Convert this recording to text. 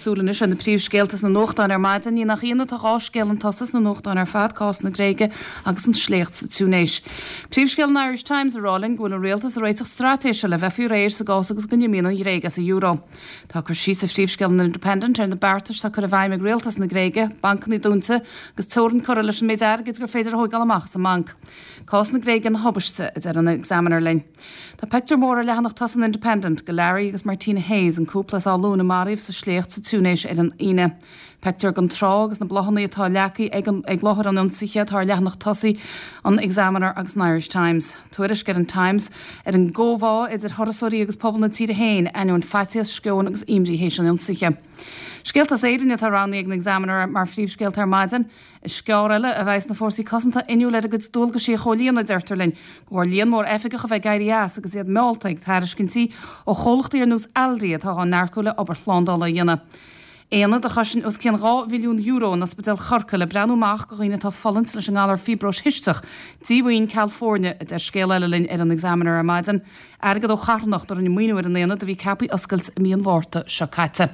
súil anois ar na príomhscéalta sna nuachtáin ar maidin. Ní nach ionadh tá 2 scéal chun tosaigh sna nuachtáin ar fad, cás na Gréige agus an sléacht sa Túinéis. Príomhscéal an Irish Times ag rá linn go bhfuil an rialtas ag réiteach straitéise le bheith faoi réir sa gcás agus go n-imíonn an Ghréig as an euro. Tá cur síos ar phríomhscéal an Independent ar na beartais atá curtha i bhfeidhm ag rialtas na Gréige, bancanna dúnta agus teorainn curtha leis an méid airgid gur féidir a thóigeáil amach as an mbanc. Cás na Gréige ina thubaiste, a deir an Examiner linn. Tá pictiúr mór ar leathanach tosaigh an Independent de Larry agus Martina Hayes, an cúpla as Áth Luain a maraíodh sa sléacht sa Túinéis ar an Aoine. Pictiúr den trá agus na bláthanna atá leagtha ag ag láthair an ionsaithe atá ar leathanach tosaigh an Examiner agus an Irish Times. Tuairisc ar an Times ar an gcomhbhá idir thurasóirí agus pobal na tíre féin, ainneoin faitíos, sceoin agus imní théis an ionsaithe. Scéalta as Éirinn atá roghnaithe ag an Examiner mar phríomhscéalta ar maidin. Is gearr eile a bheas na fórsaí cosanta inniúil ar a gcuid dualgaisí a chomhlíonadh, deirtear linn, de bharr líon mór oifigeach a bheith ag éirí as agus iad meallta ag tairiscintí ó chomhlachtaí ar nós Aldi atá á n-earcú le obair shlándála a dhéanamh. Aonad a chosain os cionn €2 mhilliún in Ospidéal Chorcaí le breathnú amach do dhaoine atá ag fulaingt leis an ngalar fiobróis chisteach, díomhaoin ceal foirne, a deir scéal eile linn ar an Examiner ar maidin. Airgead ó charthanacht a rinne maoiniú ar an aonad a bhí ceaptha oscailt i mí an Mhárta seo caite.